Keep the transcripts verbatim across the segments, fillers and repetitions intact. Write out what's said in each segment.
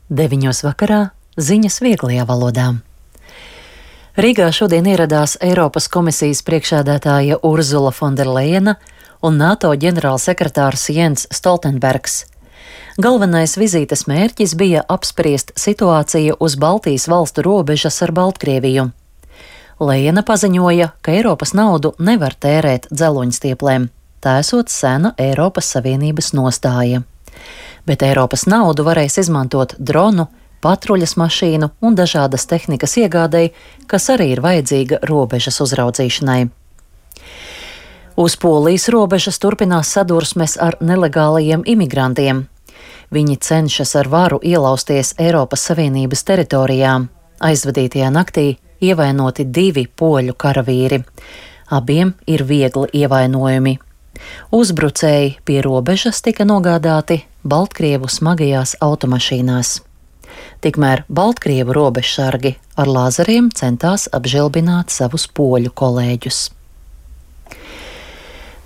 Deviņos vakarā ziņas vieglajā valodā. Rīgā šodien ieradās Eiropas komisijas priekšsēdētāja Urzula Fonderlejena un NATO ģenerālsekretārs Jens Stoltenbergs. Galvenais vizītes mērķis bija apspriest situāciju uz Baltijas valstu robežas ar Baltkrieviju. Lejena paziņoja, ka Eiropas naudu nevar tērēt dzeloņstieplēm, tā esot sena Eiropas Savienības nostāja. Bet Eiropas naudu varēs izmantot dronu, patruļas mašīnu un dažādas tehnikas iegādēji, kas arī ir vajadzīga robežas uzraudzīšanai. Uz Polijas robežas turpinās sadursmes ar nelegālajiem imigrantiem. Viņi cenšas ar varu ielausties Eiropas Savienības teritorijā. Aizvadītajā naktī ievainoti divi poļu karavīri. Abiem ir viegli ievainojumi. Uzbrucēji pie robežas tika nogādāti Baltkrievu smagajās automašīnās. Tikmēr Baltkrievu robežsargi ar lāzeriem centās apžilbināt savus poļu kolēģus.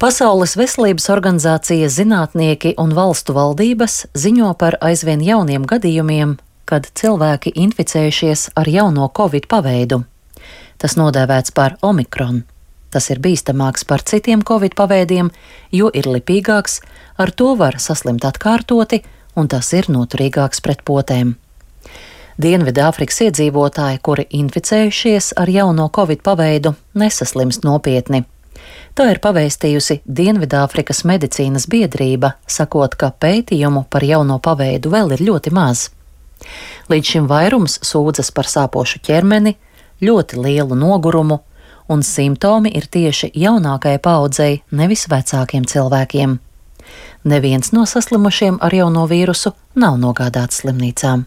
Pasaules veselības organizācija, zinātnieki un valstu valdības ziņo par aizvien jauniem gadījumiem, kad cilvēki inficējušies ar jauno covid paveidu. Tas nodēvēts par Omikron. Tas ir bīstamāks par citiem covid paveidiem, jo ir lipīgāks, ar to var saslimt atkārtoti, un tas ir noturīgāks pret potēm. Dienvidāfrikas iedzīvotāji, kuri inficējušies ar jauno covid paveidu, nesaslimst nopietni. Tā ir pavēstījusi Dienvidāfrikas medicīnas biedrība, sakot, ka pētījumu par jauno paveidu vēl ir ļoti maz. Līdz šim vairums sūdzas par sāpošu ķermeni, ļoti lielu nogurumu, un simptomi ir tieši jaunākajai paaudzei, nevis vecākiem cilvēkiem. Neviens no saslimušiem ar jauno vīrusu nav nogādāts slimnīcām.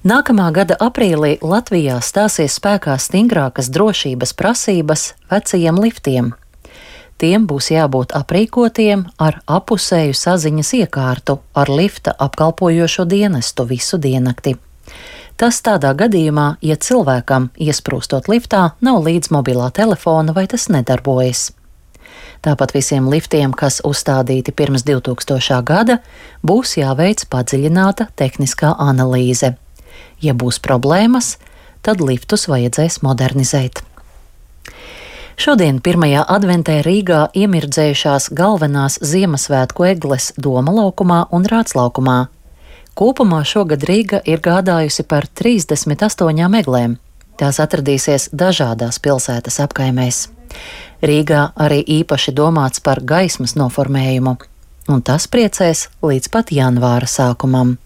Nākamā gada aprīlī Latvijā stāsies spēkā stingrākas drošības prasības vecajiem liftiem. Tiem būs jābūt aprīkotiem ar apusēju saziņas iekārtu ar lifta apkalpojošo dienestu visu diennakti. Tas tādā gadījumā, ja cilvēkam, iesprūstot liftā, nav līdz mobilā telefona vai tas nedarbojas. Tāpat visiem liftiem, kas uzstādīti pirms divtūkstošā gada, būs jāveic padziļināta tehniskā analīze. Ja būs problēmas, tad liftus vajadzēs modernizēt. Šodien pirmajā adventē Rīgā iemirdzējušās galvenās Ziemassvētku egles Doma laukumā un Rāds laukumā. Kopumā šogad Rīga ir gādājusi par trīsdesmit astoņām eglēm. Tās atradīsies dažādās pilsētas apkaimēs. Rīgā arī īpaši domāts par gaismas noformējumu, un tas priecēs līdz pat janvāra sākumam.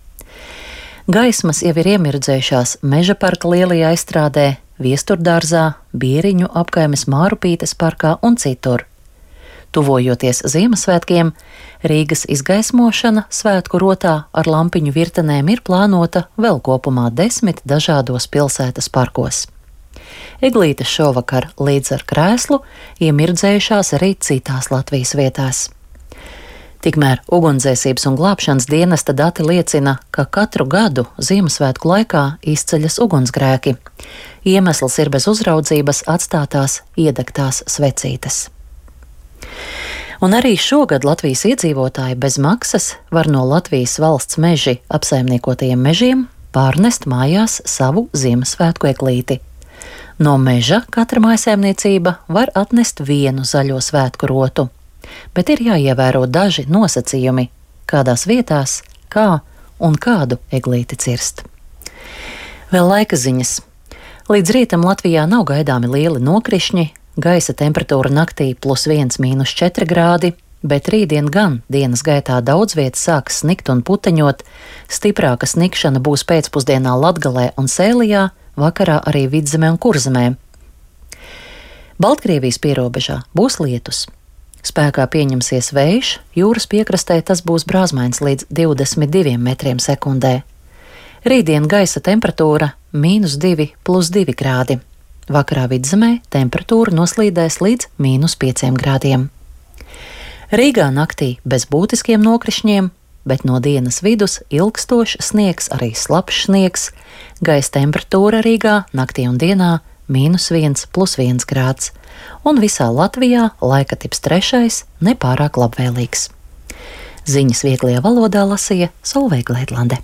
Gaismas jau ir iemirdzējušās Meža parka lielajā izstrādē, Viesturdārzā, Bieriņu apkaimes Mārupītes parkā un citur. Tuvojoties Ziemassvētkiem, Rīgas izgaismošana svētku rotā ar lampiņu virtenēm ir plānota vēl kopumā desmit dažādos pilsētas parkos. Eglītes šovakar līdz ar krēslu iemirdzējušās arī citās Latvijas vietās. Tikmēr ugunsdzēsības un glābšanas dienesta dati liecina, ka katru gadu Ziemassvētku laikā izceļas ugunsgrēki. Iemesls ir bez uzraudzības atstātās iedegtās svecītes. Un arī šogad Latvijas iedzīvotāji bez maksas var no Latvijas valsts meži apsaimniekotajiem mežiem pārnest mājās savu Ziemassvētku eglīti. No meža katra mājsaimniecība var atnest vienu zaļo svētku rotu, bet ir jāievēro daži nosacījumi, kādās vietās, kā un kādu eglīti cirst. Vēl laika ziņas. Līdz rītam Latvijā nav gaidāmi lieli nokrišņi, gaisa temperatūra naktī plus viens mīnus četri grādi, bet rītdien gan dienas gaitā daudz vietas sāks snikt un puteņot, stiprāka snikšana būs pēcpusdienā Latgalē un Sēlijā, vakarā arī Vidzemē un Kurzemē. Baltkrievijas pierobežā būs lietus. Spēkā pieņemsies vējš, jūras piekrastē tas būs brāzmains līdz divdesmit diviem metriem sekundē. Rītdien gaisa temperatūra mīnus divi plus divi grādi. Vakarā Vidzemē temperatūra noslīdēs līdz mīnus pieciem grādiem. Rīgā naktī bez būtiskiem nokrišņiem, bet no dienas vidus ilgstošs sniegs, arī slapjš sniegs. Gaisa temperatūra Rīgā naktī un dienā mīnus viens plus viens grāds, un visā Latvijā laika tips trešais nepārāk labvēlīgs. Ziņas vieglajā valodā lasīja Solveiga Leidlande.